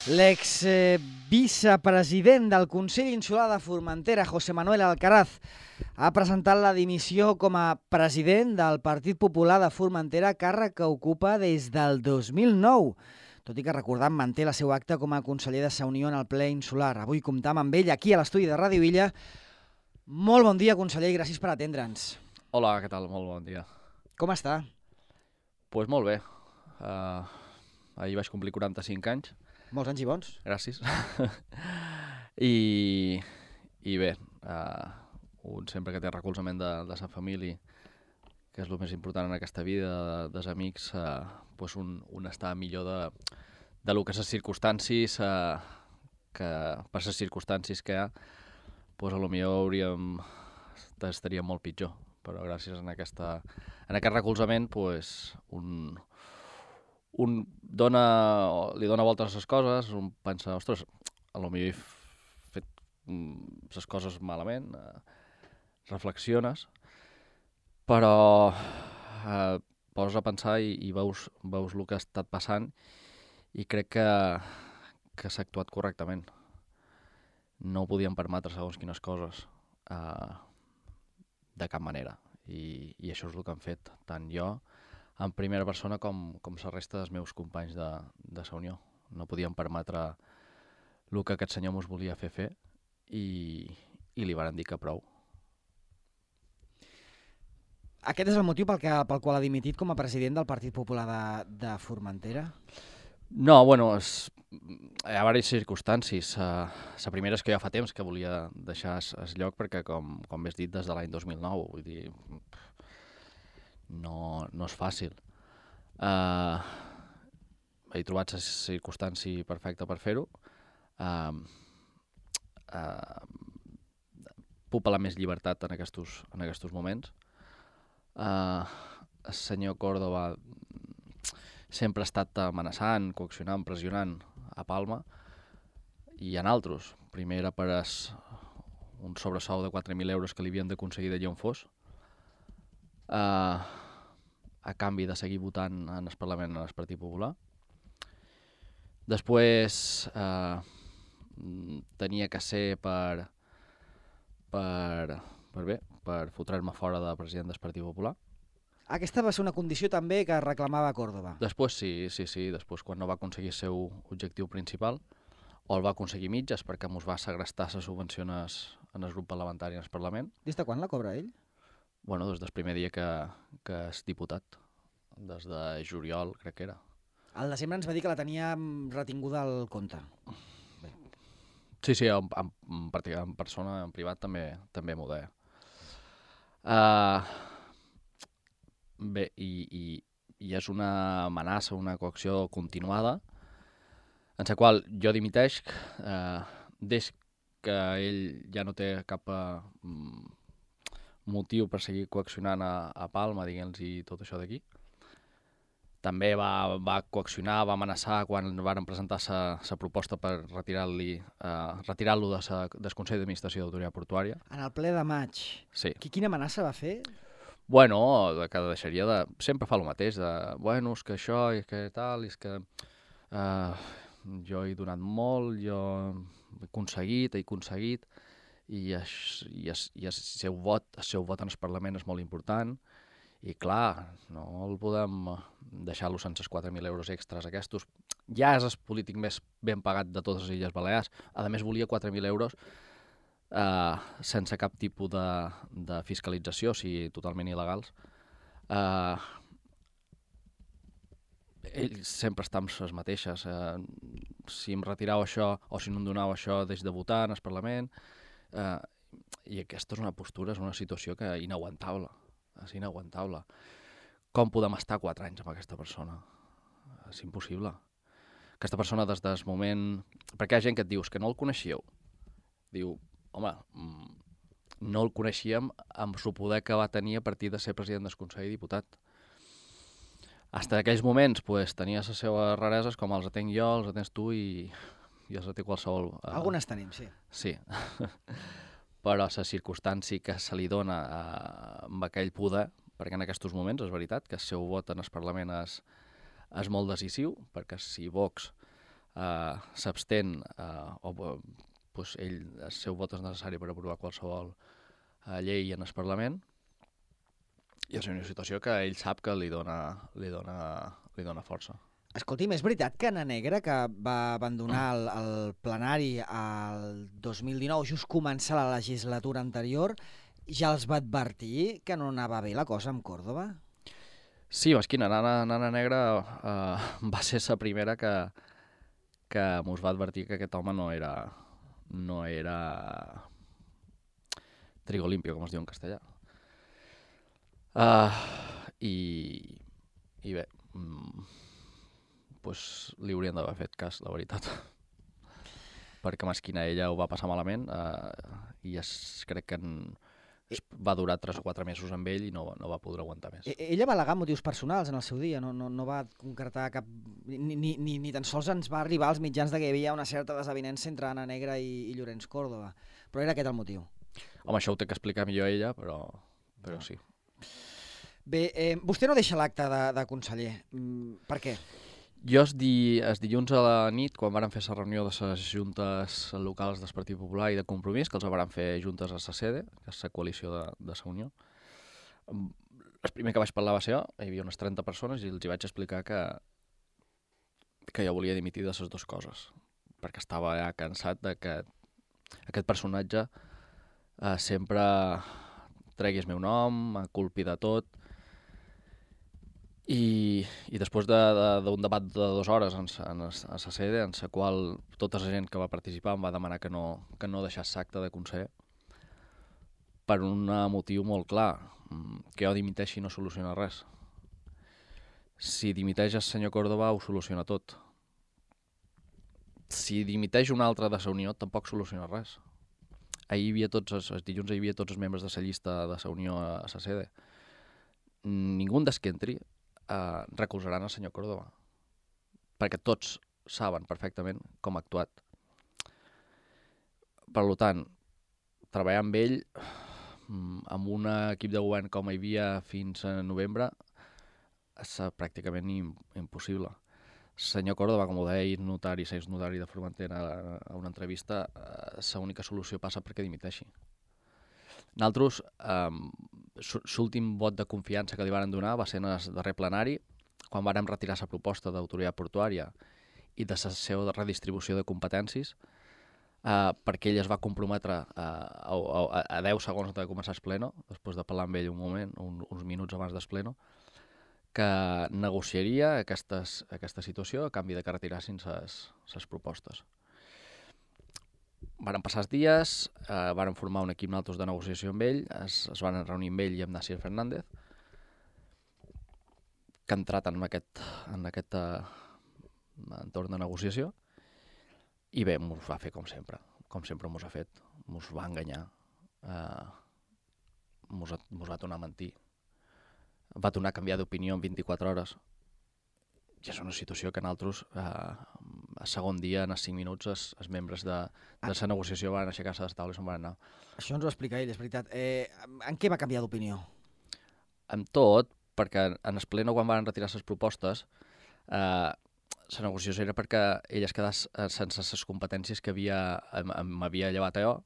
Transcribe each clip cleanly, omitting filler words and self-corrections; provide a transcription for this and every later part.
L'ex-vicepresident del Consell Insular de Formentera, José Manuel Alcaraz, ha presentat la dimissió com a president del Partit Popular de Formentera, càrrec que ocupa des del 2009, tot i que, recordant, manté la seva acta com a conseller de Sa Unió en el ple insular. Avui comptam amb ell aquí a l'estudi de Ràdio Illa. Molt bon dia, conseller, i gràcies per atendre'ns. Hola, què tal? Molt bon dia. Com està? Doncs molt bé. Ahir vaig complir 45 anys. Molts anys i bons. Gràcies. I bé, un sempre que té recolzament de sa família, que és el més important en aquesta vida, dels amics, doncs un està millor de lo que les circumstàncies, que per les circumstàncies que hi ha, doncs potser estaria molt pitjor. Però gràcies a aquest recolzament, doncs un li dona voltes a les coses, un pensa, ostres, potser he fet les coses malament, reflexiones, però poses a pensar i veus el que ha estat passant i crec que s'ha actuat correctament. No podíem permetre segons quines coses de cap manera, i això és el que han fet, tant jo en primera persona com la resta dels meus companys de Sa Unió. No podíem permetre el que aquest senyor ens volia fer i li varen dir que prou. Aquest és el motiu pel qual ha dimitit com a president del Partit Popular de Formentera? No, bueno, hi ha diverses circumstàncies. La primera és que ja fa temps que volia deixar el lloc perquè, com bé has dit, des de l'any 2009, vull dir, no és fàcil. He trobat la circumstància perfecta per fer-ho. Puc parlar més llibertat en aquests moments. El senyor Córdoba sempre ha estat amenaçant, coaccionant, pressionant a Palma i en altres. Primer era per un sobresou de 4.000 euros que li havien d'aconseguir d'allà on fos, a canvi de seguir votant en el Parlament en el Partit Popular. Després tenia que ser per fotre'm fora de president del Partit Popular. Aquesta va ser una condició també que reclamava Córdoba. Després sí. Després, quan no va aconseguir el seu objectiu principal, o el va aconseguir mitges perquè ens va segrestar les subvencions en el grup parlamentari en el Parlament. Des de quan la cobra ell? Bueno, des del primer dia que és diputat. Des de juliol, crec que era. Al desembre ens va dir que la tenia retinguda al compte. Bé. Sí, en persona, en privat, també m'ho deia. Bé, i és una amenaça, una coacció continuada, en la qual jo dimiteix des que ell ja no té cap motiu per seguir coaccionant a Palma, diguem-los tot això d'aquí. També va coaccionar, va amenaçar quan varen presentar la proposta per retirar-lo del Consell d'Administració d'Autoritat Portuària. En el ple de maig. Sí. Quina amenaça va fer? Bueno, que deixaria de... Sempre fa el mateix, bueno, és que això i que tal, és que jo he donat molt, jo he aconseguit, i el seu vot en el Parlament és molt important, i clar, no el podem deixar-lo sense els 4.000 euros extras aquests. Ja és el polític més ben pagat de totes les Illes Balears. A més, volia 4.000 euros sense cap tipus de fiscalització, o sigui, totalment il·legals. Ell sempre està amb les mateixes. Si em retirau això o si no em donau això, deix de votar en el Parlament. I aquesta és una postura, és una situació que és inaguantable. És inaguantable. Com podem estar 4 anys amb aquesta persona? És impossible. Aquesta persona des del moment... Perquè hi ha gent que et dius que no el coneixíeu. Diu, home, no el coneixíem amb el poder que va tenir a partir de ser president del Consell i diputat. Fins aquells moments tenia les seves rareses, com els tenc jo, els tens tu i els té qualsevol... Algunes tenim, sí. Sí. Però la circumstància que se li dona amb aquell poder, perquè en aquests moments és veritat que el seu vot en el Parlament és molt decisiu, perquè si Vox s'abstén o pues, el seu vot és necessari per aprovar qualsevol llei en el Parlament, i és una situació que ell sap que li dona força. Escolti'm, és veritat que Anna Negra, que va abandonar el plenari el 2019, just començar la legislatura anterior, ja els va advertir que no anava bé la cosa amb Còrdova? Sí, Mesquina, Nana Negra va ser la primera que mos va advertir que aquest home no era trigo limpio, com es diu en castellà. I bé, pues, li haurien d'haver fet cas, la veritat. Perquè Mesquina ella ho va passar malament i crec que va durar 3 o 4 mesos amb ell i no va poder aguantar més. Ella va al·legar motius personals en el seu dia, no va concretar cap... Ni tan sols ens va arribar als mitjans de que hi havia una certa desavinença entre Anna Negra i Llorenç Còrdova, però era aquest el motiu. Home, això ho té que explicar millor ella, però sí. Bé, vostè no deixa l'acte de conseller. Per què? Jo els dilluns a la nit, quan vàrem fer la reunió de les juntes locals del Partit Popular i de Compromís, que els vàrem fer juntes a la sede, que és la coalició de la Unió, el primer que vaig parlar va ser jo, hi havia unes 30 persones i els hi vaig explicar que jo volia dimitir de les dues coses, perquè estava ja cansat de que aquest personatge sempre tregui el meu nom, culpi de tot, i després d'un debat de 2 hores a la sede, en la qual tota la gent que va participar em va demanar que no deixés l'acte de conseller, per un motiu molt clar, que jo dimiteixi no soluciona res. Si dimiteix el senyor Còrdova ho soluciona tot. Si dimiteix un altre de la Unió tampoc soluciona res. Els dilluns hi havia tots els membres de la llista de la Unió a la sede. Ningú dels que entri recolzaran el senyor Còrdova, perquè tots saben perfectament com ha actuat. Per tant, treballar amb ell, amb un equip de govern com hi havia fins a novembre, és pràcticament impossible. El senyor Còrdova, com ho deia notari, notari de Formentera a una entrevista, l'única solució passa perquè dimiteixi. Nosaltres, l'últim vot de confiança que li van donar va ser en el darrer plenari, quan vàrem retirar la proposta d'autoritat portuària i de la seva redistribució de competències, perquè ell es va comprometre a 10 segons de començar el pleno, després de parlar amb ell un moment, uns minuts abans del pleno, que negociaria aquesta situació a canvi de que retirassin les propostes. Varen passar els dies, varen formar un equip nosaltres de negociació amb ell, es van reunir amb ell i amb Nasir Fernández, que ha entrat en aquest entorn de negociació, i bé, mos va fer com sempre mos ha fet, mos va enganyar, mos va tornar a mentir, va tornar a canviar d'opinió en 24 hores, i és una situació que nosaltres, a segon dia, en els 5 minuts, els membres de la negociació van aixecar-se de les taules i se'n van anar. Això ens ho explica ell, és veritat. En què va canviar d'opinió? En tot, perquè en el pleno, quan van retirar les propostes, la negociació era perquè ell es quedés sense les competències que m'havia llevat a jo,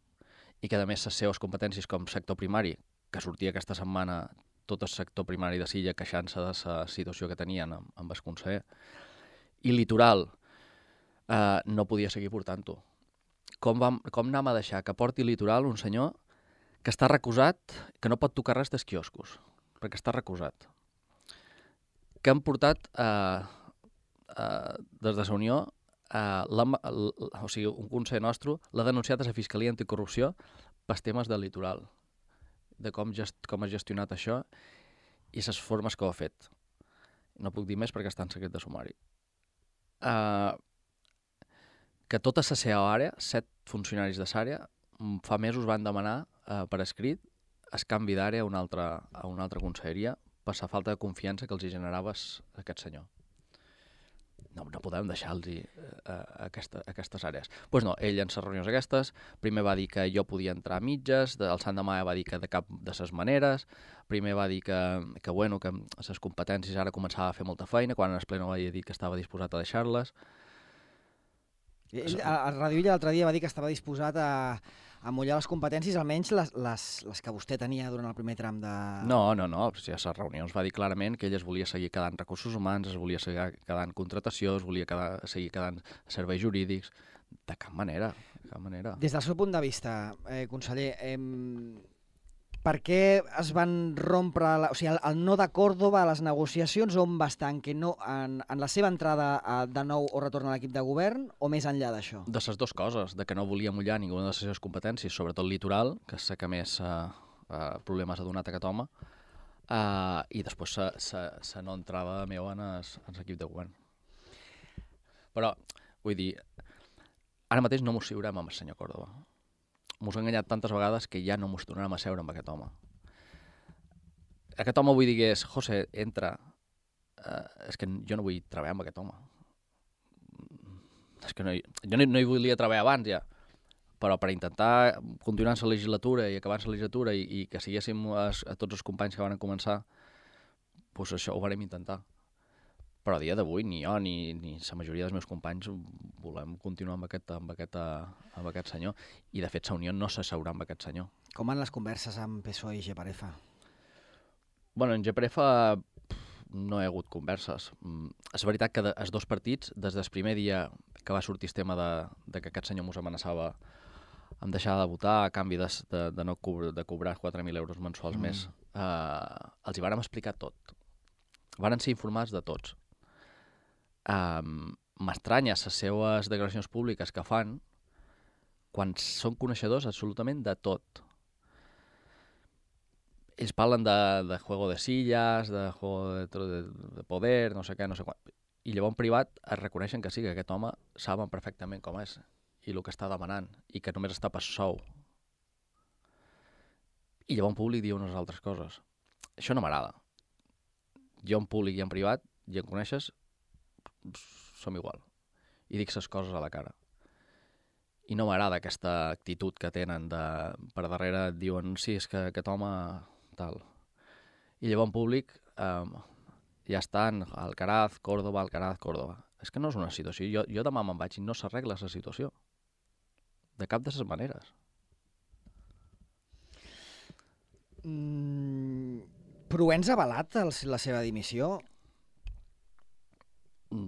i que a més les seves competències com sector primari, que sortia aquesta setmana tot el sector primari de Silla queixant-se de la situació que tenien amb el conseller, i litoral, no podia seguir portant-ho. Com anem a deixar que porti litoral un senyor que està recusat, que no pot tocar res dels quioscos, perquè està recusat? Que han portat des de la Unió, o sigui, un conseller nostre l'ha denunciat a la Fiscalia Anticorrupció pels temes del litoral, de com ha gestionat això i les formes que ho ha fet. No puc dir més perquè està en secret de sumari. Que tota la seva àrea, 7 funcionaris de l'àrea, fa mesos van demanar per escrit el canvi d'àrea a una altra conselleria per la falta de confiança que els generava aquest senyor. No podem deixar-los aquestes àrees. Doncs no, ell en les reunions aquestes, primer va dir que jo podia entrar a mitges, el Sant Demà va dir que de cap de les maneres, primer va dir que les competències ara començava a fer molta feina, quan en el ple no va dir que estava disposat a deixar-les. Ell, a Ràdio Illa l'altre dia va dir que estava disposat a mullar les competències, almenys les que vostè tenia durant el primer tram de... No, si a les reunions va dir clarament que ell es volia seguir quedant recursos humans, es volia seguir quedant contratació, es volia seguir quedant serveis jurídics, de cap manera, de cap manera. Des del seu punt de vista, conseller, per què es van rompre, o sigui, el no de Córdoba a les negociacions, on va estar? Que no, en la seva entrada de nou o retorn a l'equip de govern, o més enllà d'això? De les dues coses, de que no volia mullar ninguna de les seves competències, sobretot litoral, que sé que més problemes ha donat aquest home, i després la no entrada meva en l'equip de govern. Però, vull dir, ara mateix no mos seurem amb el senyor Córdoba. Mos ha enganyat tantes vegades que ja no mos tornarem a seure amb aquest home. Aquest home vull dir que és, José, entra, és que jo no vull treballar amb aquest home. És que jo no hi volia treballar abans ja, però per intentar continuar en la legislatura i acabar la legislatura i que siguéssim a tots els companys que van començar, doncs això ho vam intentar. Però a dia d'avui ni jo ni la majoria dels meus companys volem continuar amb aquest senyor. I de fet la Unió no s'asseurà amb aquest senyor. Com van les converses amb PSOE i GPRF? Bueno, en GPRF no hi ha hagut converses. És veritat que els dos partits, des del primer dia que va sortir el tema de que aquest senyor mos amenaçava amb deixar de votar a canvi de cobrar 4.000 euros mensuals més, els hi vàrem explicar tot. Varen ser informats de tots. M'estranya les seues declaracions públiques que fan quan són coneixedors absolutament de tot. Ells parlen de juego de sillas, de juego de poder, no sé què, no sé quan. I llavors en privat es reconeixen que sí, que aquest home saben perfectament com és i el que està demanant i que només està per sou. I llavors en públic diu unes altres coses. Això no m'agrada. Jo en públic i en privat, i em coneixes, som igual. I dic les coses a la cara. I no m'agrada aquesta actitud que tenen per darrere et diuen sí, és que aquest home tal. I llavors en públic ja estan Alcaraz, Córdoba. És que no és una situació. Jo demà me'n vaig i no s'arregla la situació. De cap de les maneres. Provenç ha avalat la seva dimissió?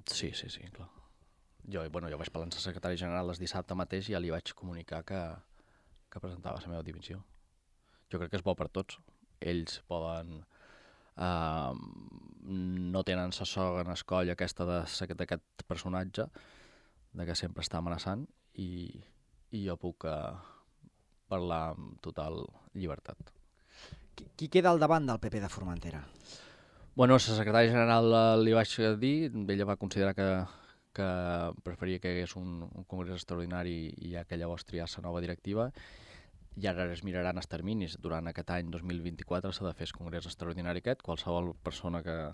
Sí, clar. Jo vaig parlar amb el secretari general el dissabte mateix i ja li vaig comunicar que presentava la meva dimissió. Jo crec que és bo per tots. Ells poden... no tenen la soga en el coll aquesta d'aquest personatge, que sempre està amenaçant, i jo puc parlar amb total llibertat. Qui queda al davant del PP de Formentera? Bueno, la secretària general li vaig dir, ella va considerar que preferia que hi hagués un congrés extraordinari i ja que llavors triar la nova directiva, i ara es miraran els terminis. Durant aquest any 2024 s'ha de fer el congrés extraordinari aquest. Qualsevol persona que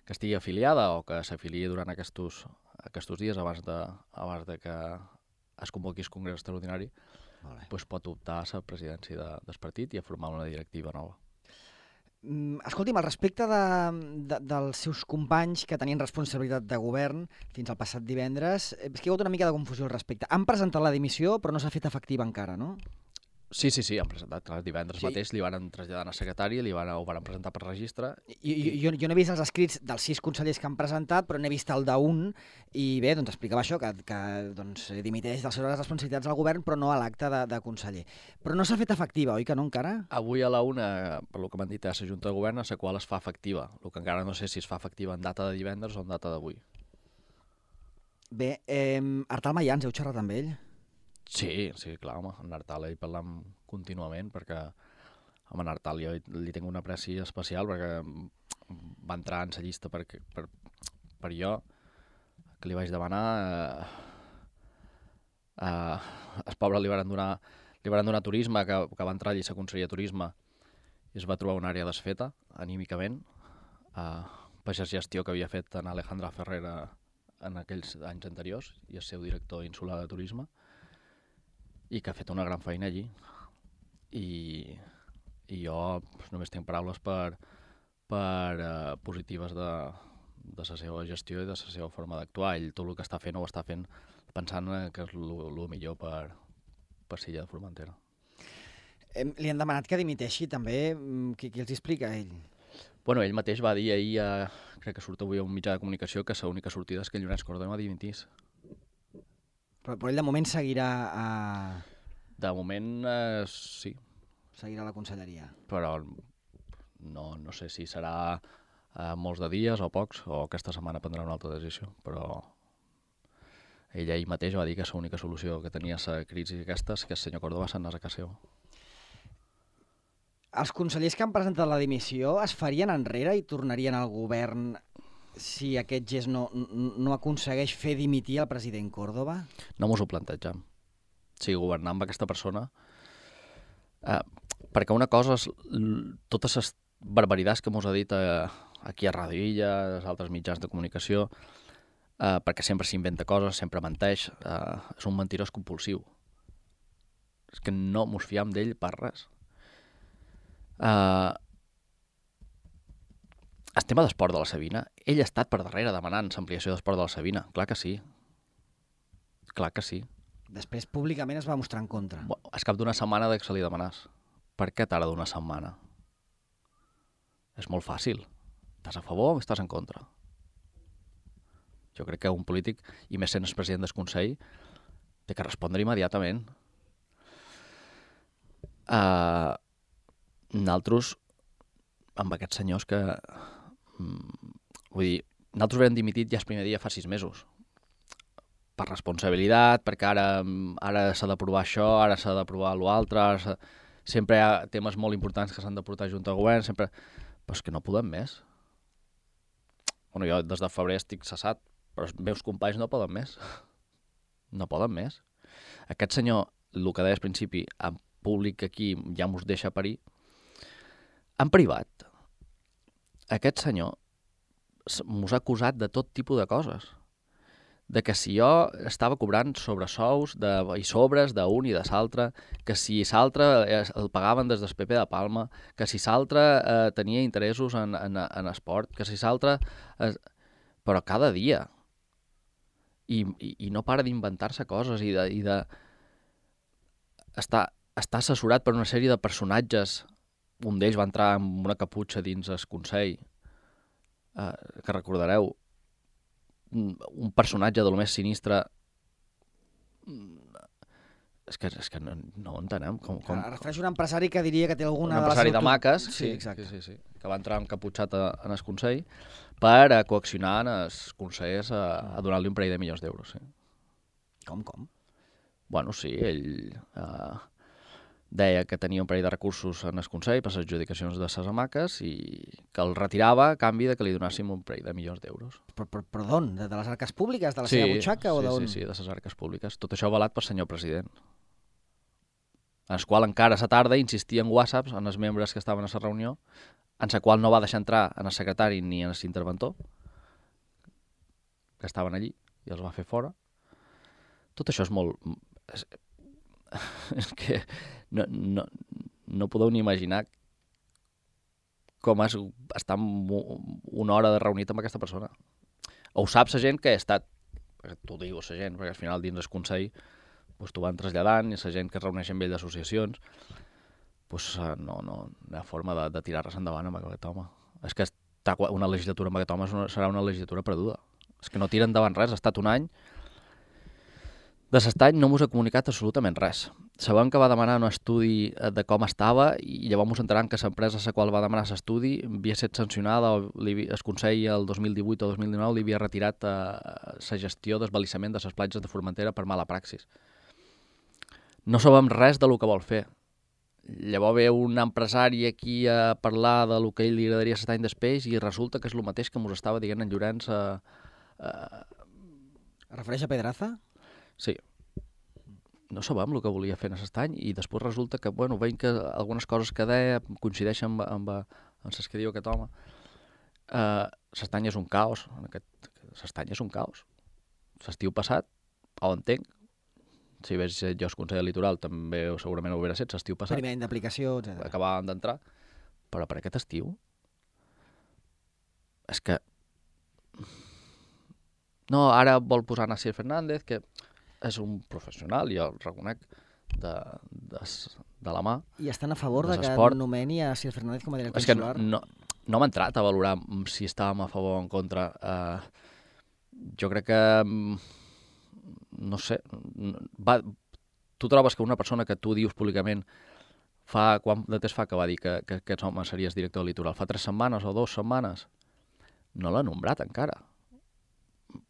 estigui afiliada o que s'afiliï durant aquests dies abans de que es convoqui el congrés extraordinari, doncs pot optar a la presidència del partit i a formar una directiva nova. Escolti'm, al respecte dels seus companys que tenien responsabilitat de govern fins al passat divendres, és que hi ha hagut una mica de confusió al respecte. Han presentat la dimissió, però no s'ha fet efectiva encara, no? Sí, han presentat. Divendres mateix li van traslladar al secretari, ho van presentar per registre. Jo no he vist els escrits dels 6 consellers que han presentat, però n'he vist el d'un, i bé, doncs explicava això, que dimiteix de les seves responsabilitats al govern, però no a l'acte de conseller. Però no s'ha fet efectiva, oi que no, encara? Avui a la 1, per lo que m'han dit a la Junta de Govern, a la qual es fa efectiva. El que encara no sé si es fa efectiva en data de divendres o en data d'avui. Bé, Artal Mayans, heu xerrat amb ell? Sí, clar, home, en Artal hi parlam contínuament perquè en Artal jo li tinc una apreci especial perquè va entrar en la llista per jo, que li vaig demanar. El pobre li van donar turisme, que va entrar allí a la conselleria de turisme i es va trobar una àrea desfeta, anímicament, per la gestió que havia fet en Alejandra Ferrera en aquells anys anteriors i el seu director insular de turisme, i que ha fet una gran feina allí. I jo només tinc paraules positives de de la seva gestió i de la seva forma d'actuar. Ell tot el que està fent ho està fent pensant que és el millor per Silla de Formentera. Li han demanat que dimiteixi també. Qui els explica ell? Bueno, ell mateix va dir ahir, crec que surt avui a un mitjà de comunicació, que l'única sortida és que Llorenç Córdoba dimitís. Però ell de moment seguirà a... De moment, sí. Seguirà a la conselleria. Però no sé si serà molts de dies o pocs, o aquesta setmana prendrà una altra decisió, però ell ahir mateix va dir que l'única solució que tenia la crisi aquesta és que el senyor Córdoba se'n anés a casa seva. Els consellers que han presentat la dimissió es farien enrere i tornarien al govern si aquest gest no aconsegueix fer dimitir el president Córdoba? No mos ho plantegem. Si governar amb aquesta persona... perquè una cosa és totes les barbaritats que mos ha dit aquí a Ràdio Illa, als altres mitjans de comunicació, perquè sempre s'inventa coses, sempre menteix, és un mentirós compulsiu. És que no mos fiam d'ell per res. El tema d'esport de la Sabina, ell ha estat per darrere demanant l'ampliació d'esport de la Sabina, clar que sí. Clar que sí. Després públicament es va mostrar en contra. És cap d'una setmana que se li demanàs. Per què tarda d'una setmana? És molt fàcil. Estàs a favor o estàs en contra? Jo crec que un polític, i més sent el president del Consell, té que respondre immediatament. Nosaltres, amb aquests senyors que... vull dir, nosaltres vam dimitit ja el primer dia fa 6 mesos. Per responsabilitat, perquè ara s'ha d'aprovar això, ara s'ha d'aprovar l'altre, sempre hi ha temes molt importants que s'han de portar junt al govern, sempre... Però és que no podem més. Bueno, jo des de febrer estic cessat, però els meus companys no poden més. No poden més. Aquest senyor, el que deia al principi, en públic aquí ja mos deixa parir. En privat, aquest senyor mos ha acusat de tot tipus de coses. De que si jo estava cobrant sobresous i sobres d'un i de l'altre, que si l'altre el pagaven des del PP de Palma, que si l'altre tenia interessos en esport, que si l'altre... Però cada dia. I no para d'inventar-se coses i de... Està assessorat per una sèrie de personatges. Un d'ells va entrar amb una caputxa dins el Consell, que recordareu, un personatge de lo més sinistre. És que no ho entenem. Refereix un empresari que diria que té alguna... Un empresari de maques, sí, exacte. Sí, que va entrar encaputxat en el Consell per coaccionar els consellers a donar-li un parell de milions d'euros. Sí. Com? Bueno, sí, ell deia que tenia un parell de recursos en el Consell per les adjudicacions de les hamaques i que el retirava a canvi de que li donàssim un parell de milions d'euros. Però d'on? De les arques públiques? De la seva butxaca? O d'on? Sí, de les arques públiques. Tot això avalat pel senyor president. En el qual encara a la tarda insistia en whatsapps en els membres que estaven a la reunió, en la qual no va deixar entrar en el secretari ni en l'interventor, que estaven allí, i els va fer fora. Tot això és molt... És que no podeu ni imaginar com és estar una hora de reunit amb aquesta persona. Ho sap la gent que ha estat, t'ho diu la gent, perquè al final dins el Consell t'ho van traslladant, i la gent que es reuneix amb ell d'associacions, no hi ha forma de tirar res endavant amb aquest home. És que una legislatura amb aquest home serà una legislatura perduda. És que no tira endavant res, ha estat un any. De aquest any no mos ha comunicat absolutament res. Sabem que va demanar un estudi de com estava i llavors mos enteram que l'empresa a la qual va demanar l'estudi havia estat sancionada, el Consell el 2018 o 2019 li havia retirat la gestió d'esbalissament de les platges de Formentera per mala praxis. No sabem res de lo que vol fer. Llavors ve un empresari aquí a parlar de lo que ell li agradaria 7 anys després i resulta que és el mateix que mos estava dient en Llorenç. Refereix a Pedraza? Sí. No sabem el que volia fer en aquest any i després resulta que, veiem que algunes coses que deia coincideixen amb les que diu aquest home. L'estany és un caos. L'estany és un caos. L'estiu passat, ho entenc. Si veig jo el Consell Litoral també segurament ho hauria set l'estiu passat. Primer any d'aplicació, etc. Acabàvem d'entrar. Però per aquest estiu és que no, ara vol posar Nasir Fernández, que és un professional, jo el reconec, de la mà. I estan a favor de que nomeni a Nasir Fernández com a director insular? És que no m'ha entrat a valorar si estàvem a favor o en contra. Jo crec que, no sé, tu trobes que una persona que tu dius públicament quant de temps fa que va dir que aquest home series director del Litoral? Fa 3 setmanes o 2 setmanes? No l'ha nombrat encara.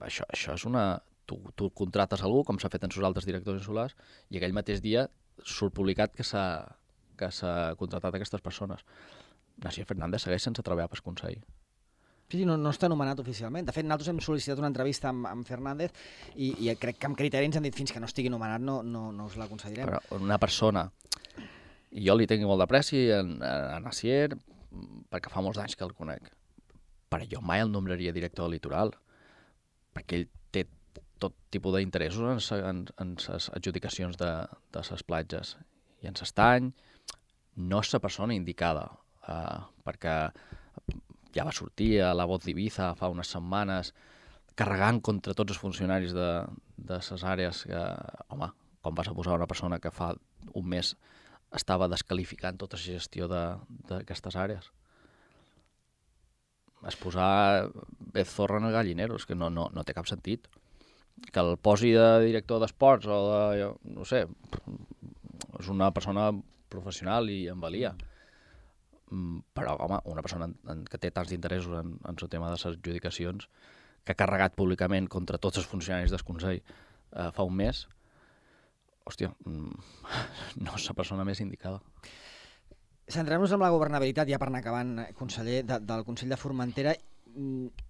Això és una... Tu contractes algú, com s'ha fet en els altres directors insulars, i aquell mateix dia surt publicat que s'ha contractat aquestes persones. Nasir Fernández segueix sense treballar pel Consell. Sí, no està nomenat oficialment. De fet, nosaltres hem sol·licitat una entrevista amb Fernández i crec que amb criteri ens han dit fins que no estigui nomenat no us la concedirem. Però una persona... I jo li tinc molt d'apreci a Nasir, perquè fa molts anys que el conec. Però jo mai el nombraria director del Litoral, perquè ell té tot tipus d'interessos en les adjudicacions de les platges. I en l'estany no és la persona indicada, perquè ja va sortir a la Voz d'Ibiza fa unes setmanes carregant contra tots els funcionaris de les àrees que, home, com vas a posar una persona que fa un mes estava descalificant tota la gestió d'aquestes àrees. Es posar zorra en el gallinero, és que no té cap sentit. Que el posi de director d'esports o de, no sé, és una persona professional i en valia. Però, home, una persona que té tants interessos en el tema de les adjudicacions, que ha carregat públicament contra tots els funcionaris del Consell fa un mes, hòstia, no és la persona més indicada. Centrem-nos en la governabilitat, ja per anar acabant, conseller, del Consell de Formentera.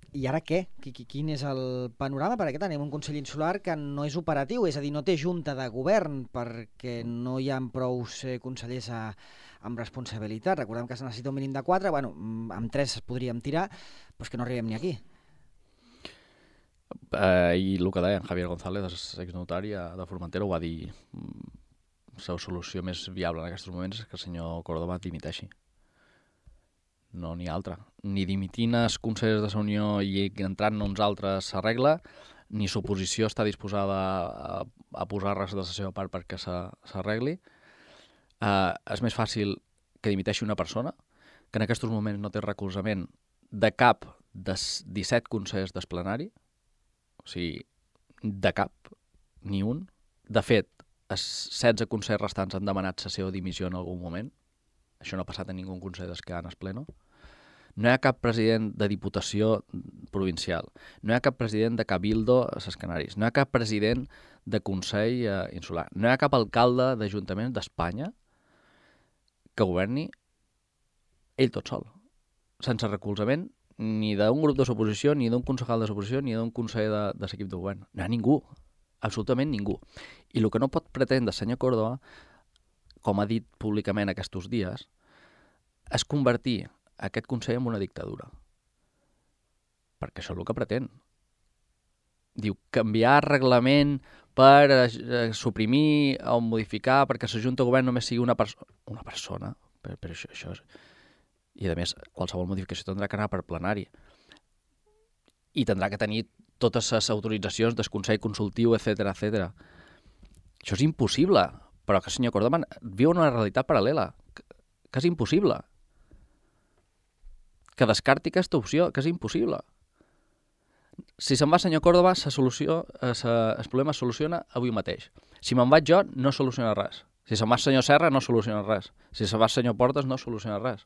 I ara què? Quin és el panorama? Perquè tenim un Consell Insular que no és operatiu, és a dir, no té junta de govern perquè no hi ha prous consellers amb responsabilitat. Recordem que se necessita un mínim de 4, bueno, amb 3 podríem tirar, però és que no arribem ni aquí. I el que deia en Javier González, exnotari de Formentera, ho va dir, la solució més viable en aquests moments és que el senyor Córdoba dimiteixi. No n'hi ha altra. Ni dimitint els consellers de la Unió i entrant uns altres s'arregla, ni l'oposició està disposada a posar res de la seva part perquè s'arregli. És més fàcil que dimiteixi una persona, que en aquests moments no té recolzament de cap dels 17 consellers del plenari, o sigui, de cap, ni un. De fet, els 16 consellers restants han demanat la seva dimissió en algun moment. Això no ha passat a ningú consell dels que han es pleno. No hi ha cap president de diputació provincial. No hi ha cap president de cabildo a les Canàries. No hi ha cap president de consell insular. No hi ha cap alcalde d'Ajuntament d'Espanya que governi ell tot sol, sense recolzament ni d'un grup de l'oposició, ni d'un concejal de l'oposició, ni d'un conseller de l'equip de govern. No hi ha ningú, absolutament ningú. I el que no pot pretendre el senyor Córdoba, com ha dit públicament aquests dies, és convertir aquest Consell en una dictadura. Perquè això és el que pretén. Diu, canviar reglament per suprimir o modificar perquè la Junta de Govern només sigui una persona. Per això és... I, a més, qualsevol modificació tindrà que anar per plenari. I tindrà que tenir totes les autoritzacions del Consell Consultiu, etc. Això és impossible. Però que el senyor Córdoba viu en una realitat paral·lela, que és impossible. Que descarti aquesta opció, que és impossible. Si se'n va el senyor Córdoba, el problema es soluciona avui mateix. Si me'n vaig jo, no soluciona res. Si se'n va el senyor Serra, no soluciona res. Si se'n va el senyor Portes, no soluciona res.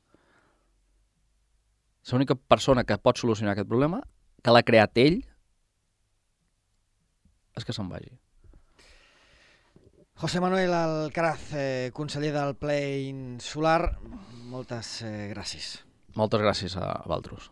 L'única persona que pot solucionar aquest problema, que l'ha creat ell, és que se'n vagi. José Manuel Alcaraz, conseller del Ple Insular, moltes gràcies. Moltes gràcies a vosaltres.